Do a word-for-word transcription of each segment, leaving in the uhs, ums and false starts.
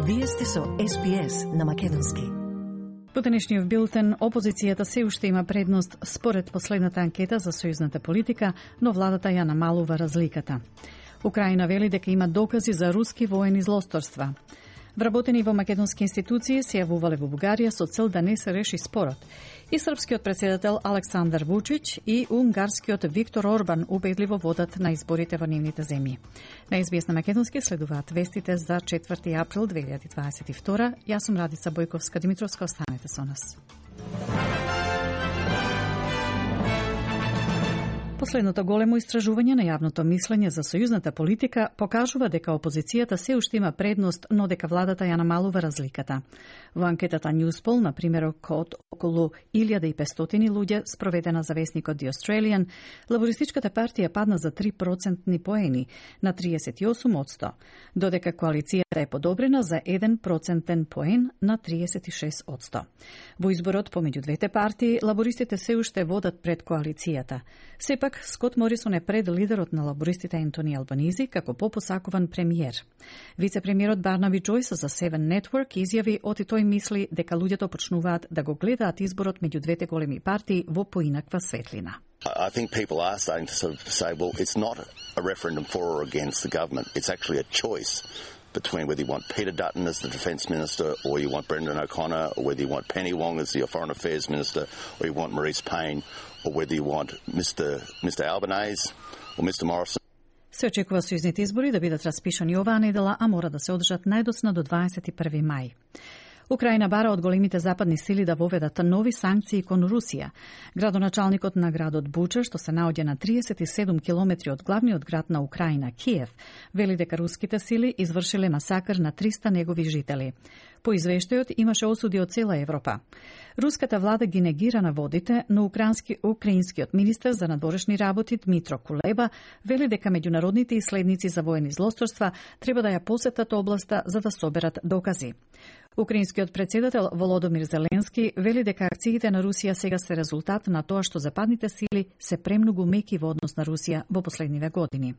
Вие сте со Ес Би Ес на македонски. Во денешниот билтен, опозицијата се уште има предност според последната анкета за сојузната политика, но владата ја намалува разликата. Украина вели дека има докази за руски воени злосторства. Вработени во македонски институции се јавувале во Бугарија со цел да не се реши спорот. И српскиот председател Александар Вучич и унгарскиот Виктор Орбан убедливо водат на изборите во нивните земји. На Ес Би Ес на македонски следуваат вестите за четврти април две илјади дваесет и втора. Јас сум Радица Бојковска Димитровска, останете со нас. Последното големо истражување на јавното мислење за сојузната политика покажува дека опозицијата се уште има предност, но дека владата ја намалува разликата. Во анкетата Newspoll, на примерок од околу илјада и петстотини луѓе, спроведена за весникот The Australian, лабористичката партија падна за три процентни поени на триесет и осум одсто, додека коалицијата е подобрена за еден процентен поен на триесет и шест одсто. Во изборот помеѓу двете партии, лабористите се уште водат пред коалицијата. Сепак, Скот Морисон е пред лидерот на лабористите Ентони Албанизи како попосакуван премиер. Вице-премиерот Барнаби Джойс за Seven Network изјави оти тој мисли дека луѓето почнуваат да го гледаат изборот меѓу двете големи партии во поинаква светлина. I think people are starting to sort of say, well, it's not a referendum for or against the government. It's actually a choice between whether you want Peter Dutton as the Defence Minister or you want Brendan O'Connor, or whether you want Penny Wong as the Foreign Affairs Minister, or you want Maurice Payne, or whether you want Mister Mister Albanese or Mister Morrison. Се очекува сојузните избори да бидат распишани оваа недела, а мора да се одржат најдоцна до дваесет и први мај. Украина бара од големите западни сили да воведат нови санкции кон Русија. Градоначалникот на градот Буча, што се наоѓа на триесет и седум километри од главниот град на Украина, Киев, вели дека руските сили извршиле масакр на триста негови жители. По извештајот имаше осуди од цела Европа. Руската влада ги негира наводите, но украински, украинскиот министер за надворешни работи Дмитро Кулеба вели дека меѓународните исследници за воени злосторства треба да ја посетат областа за да соберат докази. Украинскиот председател Володомир Зеленски вели дека акциите на Русија сега се резултат на тоа што западните сили се премногу меки во однос на Русија во последниве години.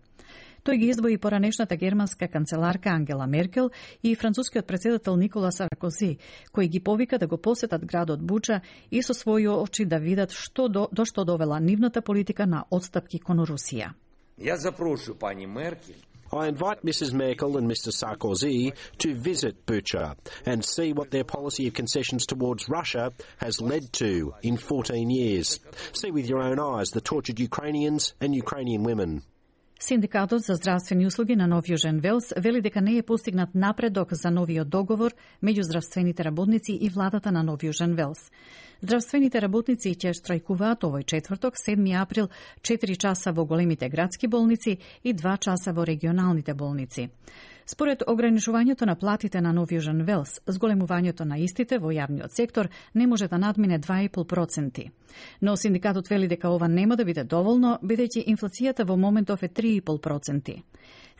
Тој ги издвои поранешната германска канцеларка Ангела Меркел и францускиот председател Никола Саркози, кои ги повика да го посетат градот Буча и со своји очи да видат што до, до што довела нивната политика на отстапки кон Русија. Ја запрошую пани Меркел. I invite Missus Merkel and Mister Sarkozy to visit Bucha and see what their policy of concessions towards Russia has led to in fourteen years. See with your own eyes the tortured Ukrainians and Ukrainian women. Синдикатот за здравствени услуги на Нов Јужен Велс вели дека не е постигнат напредок за новиот договор меѓу здравствените работници и владата на Нов Јужен Велс. Здравствените работници ќе штрајкуваат овој четврток, седми април, четири часа во големите градски болници и два часа во регионалните болници. Според ограничувањето на платите на Нов Јужен Велс, зголемувањето на истите во јавниот сектор не може да надмине два и пет проценти. Но синдикатот вели дека ова нема да биде доволно, бидејќи инфлацијата во моментов е три и пет проценти.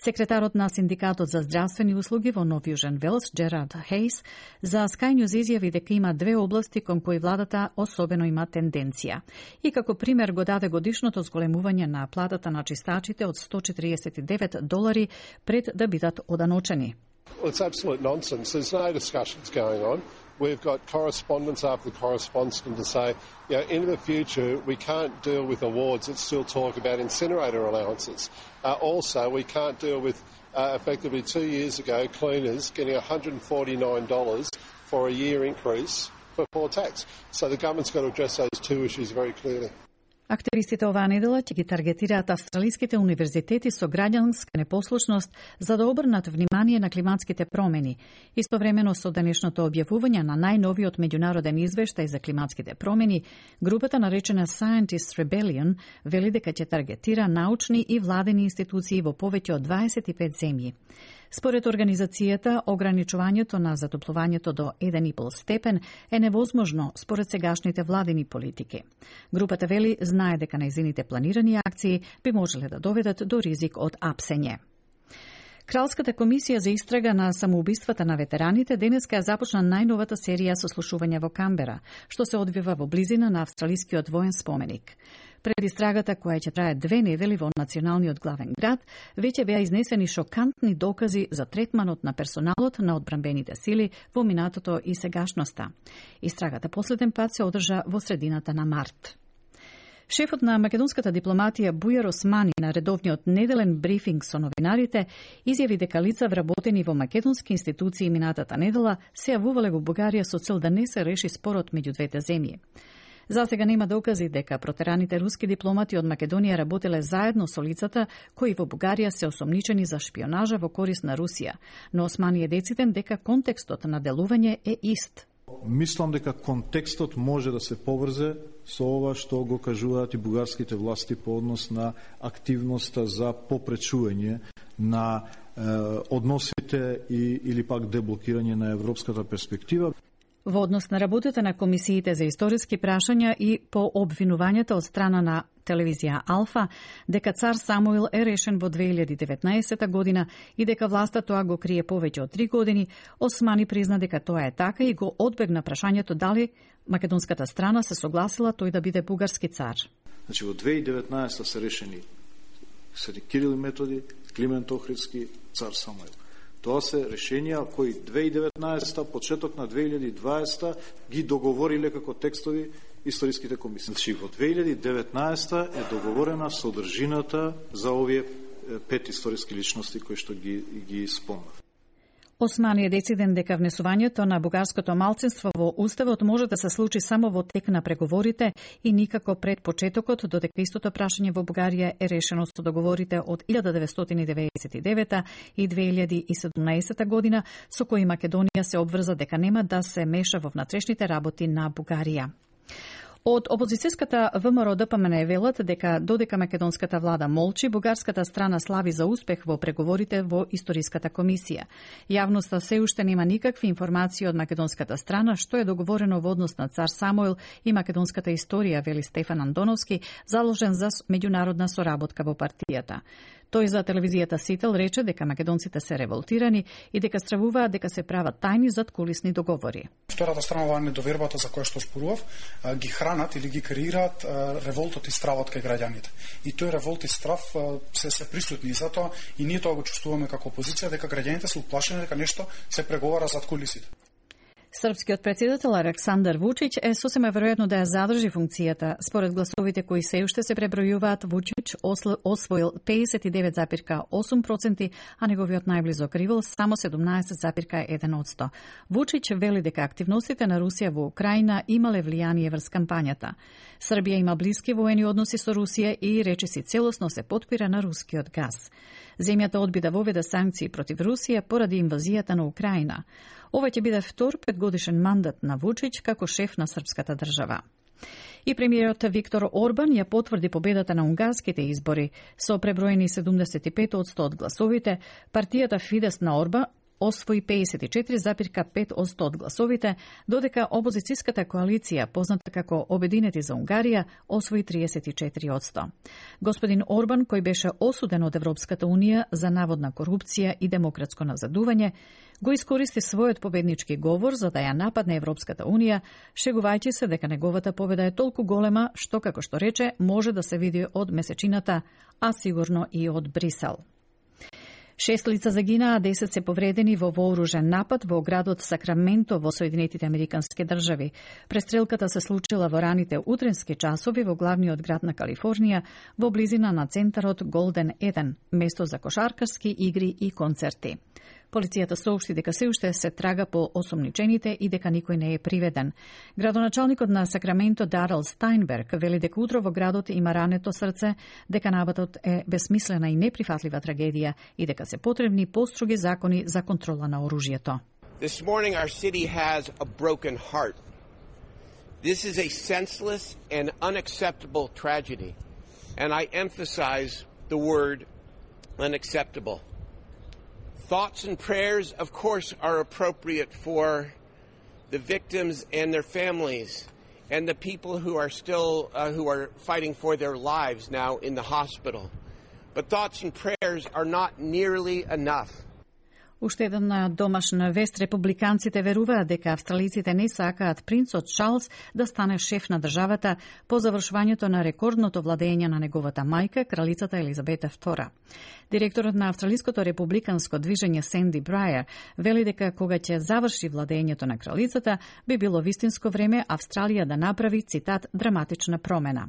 Секретарот на Синдикатот за здравствени услуги во Нов Јужен Велс, Джерард Хейс, за Sky News изјави дека има две области кон кои владата особено има тенденција. И како пример го даде годишното зголемување на платата на чистачите од сто четириесет и девет долари пред да бидат оданочени. Well, it's absolute nonsense. There's no discussions going on. We've got correspondence after correspondence to say, you know, in the future we can't deal with awards that still talk about incinerator allowances. Uh, also, we can't deal with, uh, effectively two years ago, cleaners getting one hundred forty-nine dollars for a year increase before tax. So the government's got to address those two issues very clearly. Активистите оваа недела ќе ги таргетираат австралиските универзитети со граѓанска непослушност за да обрнат внимание на климатските промени. Истовремено со денешното објавување на најновиот меѓународен извештај за климатските промени, групата наречена Scientist Rebellion вели дека ќе таргетира научни и владени институции во повеќе од дваесет и пет земји. Според организацијата, ограничувањето на затоплувањето до еден и пол степен е невозможно според сегашните владени политики. Групата вели знае дека нејзините планирани акции би можеле да доведат до ризик од апсење. Кралската комисија за истрага на самоубиствата на ветераните денеска ја започна најновата серија сослушувања во Камбера, што се одвива во близина на австралискиот воен споменик. Пред истрагата која ќе трае две недели во националниот главен град, веќе беа изнесени шокантни докази за третманот на персоналот на одбранбените сили во минатото и сегашноста. Истрагата последен пат се одржа во средината на март. Шефот на македонската дипломатија Бујар Османи на редовниот неделен брифинг со новинарите изјави дека лица вработени во македонски институции минатата недела се јавувале во Бугарија со цел да не се реши спорот меѓу двете земји. За сега нема докази дека протераните руски дипломати од Македонија работеле заедно со лицата кои во Бугарија се осомничени за шпионажа во корист на Русија, но Османи е дециден дека контекстот на делување е ист. Мислам дека контекстот може да се поврзе со ова што го кажуваат и бугарските власти по однос на активноста за попречување на е, односите и, или пак деблокирање на европската перспектива. Во однос на работата на комисиите за историски прашања и по обвинувањата од страна на телевизија Алфа, дека цар Самуил е решен во две илјади и деветнаесетта година и дека власта тоа го крие повеќе од три години, Османи призна дека тоа е така и го одбегна прашањето дали македонската страна се согласила тој да биде бугарски цар. Значи во две илјади и деветнаесетта се решени Свети Кирил и Методи, Климент Охридски, цар Самуил. Тоа се решенија кои две илјади и деветнаесетта, почеток на две илјади и дваесетта ги договориле како текстови историските комисии. Значи во две илјади и деветнаесетта е договорена содржината за овие пет историски личности кои што ги ги спомнав. Османи е дециден дека внесувањето на бугарското малцинство во уставот може да се случи само во тек на преговорите и никако пред почетокот, додека истото прашање во Бугарија е решено со договорите од илјада деветстотини деветдесет и девета и две илјади и седумнаесетта година, со кои Македонија се обврза дека нема да се меша во внатрешните работи на Бугарија. Од опозицијската ВМРО Д П М Н велат дека додека македонската влада молчи, бугарската страна слави за успех во преговорите во историската комисија. Јавноста се уште нема никакви информации од македонската страна што е договорено во однос на цар Самуил и македонската историја, вели Стефан Андоновски, заложен за меѓународна соработка во партијата. Тој за телевизијата Сител рече дека македонците се револтирани и дека стравуваат дека се прават тајни задкулисни договори. Втората страна оваа недовербата за која што спорував, ги хранат или ги креираат револтот и стравот кај граѓаните. И тој револт и страв се се присутни, затоа и ние тоа го чувствуваме како опозиција, дека граѓаните се уплашени дека нешто се преговара зад кулисите. Српскиот претседател Александар Вучич е сосема веројатно да ја задржи функцијата. Според гласовите кои се уште се пребројуваат, Вучич освоил педесет и девет зарез осум проценти, а неговиот најблизок ривал само седумнаесет зарез еден одсто. Вучич вели дека активностите на Русија во Украина имале влијание врз кампањата. Србија има блиски воени односи со Русија и речиси целосно се потпира на рускиот газ. Земјата одби да воведе санкции против Русија поради инвазијата на Украина. Ова ќе биде втор петгодишен мандат на Вучич како шеф на српската држава. И премиерот Виктор Орбан ја потврди победата на унгарските избори. Со преброени седумдесет и пет одсто од гласовите, партијата Фидес на Орбан освои педесет и четири зарез пет одсто од гласовите, додека опозицијската коалиција, позната како Обединети за Унгарија, освои триесет и четири одсто. Господин Орбан, кој беше осуден од Европската унија за наводна корупција и демократско назадување, го искористи својот победнички говор за да ја нападне Европската унија, шегувајќи се дека неговата победа е толку голема што, како што рече, може да се види од месечината, а сигурно и од Брисел. Шест лица загинаа, а десет се повредени во вооружен напад во градот Сакраменто во Соединетите Американски држави. Престрелката се случила во раните утренски часови во главниот град на Калифорнија, во близина на центарот Голден еден, место за кошаркарски игри и концерти. Полицијата соопшти дека се уште се трага по осомничените и дека никој не е приведен. Градоначалникот на Сакраменто Дарел Стајнберг вели дека утро во градот има рането срце, дека нападот е безсмислена и неприфатлива трагедија и дека се потребни построги закони за контрола на оружјето. This morning our city has a broken heart. This is a senseless and unacceptable tragedy, and I emphasize the word unacceptable. Thoughts and prayers, of course, are appropriate for the victims and their families and the people who are still uh, who are fighting for their lives now in the hospital. But thoughts and prayers are not nearly enough. Уште една домашна вест, републиканците веруваат дека австралиците не сакаат принцот Чарлс да стане шеф на државата по завршувањето на рекордното владење на неговата мајка, кралицата Елизабета втора. Директорот на Австралиското републиканско движење Сенди Брајер вели дека кога ќе заврши владењето на кралицата, би било вистинско време Австралија да направи, цитат, драматична промена.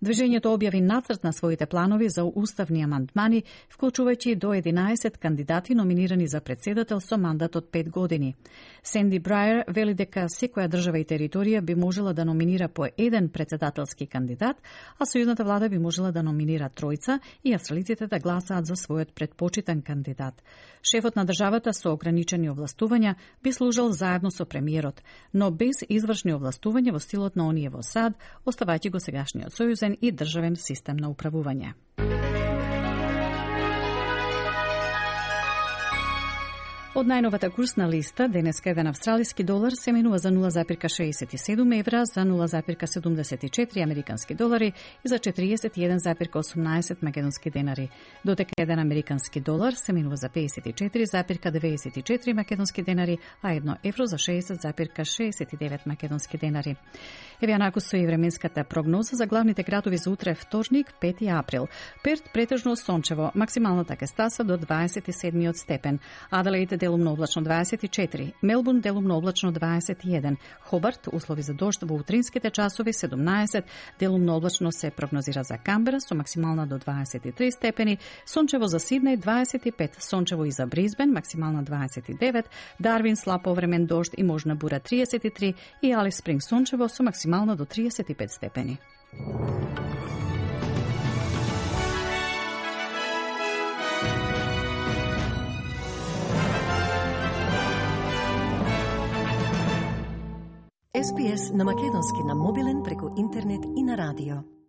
Движењето објави нацрт на своите планови за уставни амандмани, вклучувајќи до единаесет кандидати номинирани за председател со мандат од пет години. Сенди Брајер вели дека секоја држава и територија би можела да номинира по еден председателски кандидат, а сојузната влада би можела да номинира тројца и австралиците да гласаат за својот предпочитан кандидат. Шефот на државата со ограничени овластувања би служел заедно со премиерот, но без извршни овластувања во стилот на оние во САД, оставајќи го сегашниот сојузен и државен систем на управување. Од најновата курсна листа, денеска еден австралиски долар се менува за нула запирка шеесет и седум евра, за нула запирка седумдесет и четири американски долари и за четириесет и еден запирка осумнаесет македонски денари. Дотека еден американски долар се менува за пеесет и четири запирка деветдесет и четири македонски денари, а едно евро за шеесет запирка шеесет и девет македонски денари. Еве анаку со и временската прогноза за главните градови за утре вторник, пети април. Перт претежно сончево, максималната ќе стаса до дваесет и седми степен. Аделаид делумно облачно дваесет и четири, Мелбурн делумно облачно дваесет и еден, Хобарт услови за дожд во утринските часови седумнаесет, делумно облачно се прогнозира за Камбера со максимална до дваесет и три степени, сончево за Сиднеј дваесет и пет, сончево и за Бризбен максимална дваесет и девет, Дарвин слаб повремен дожд и можна бура триесет и три и Алис Спринг сончево со максимална до триесет и пет степени. Ес Би Ес на македонски на мобилен преку интернет и на радио.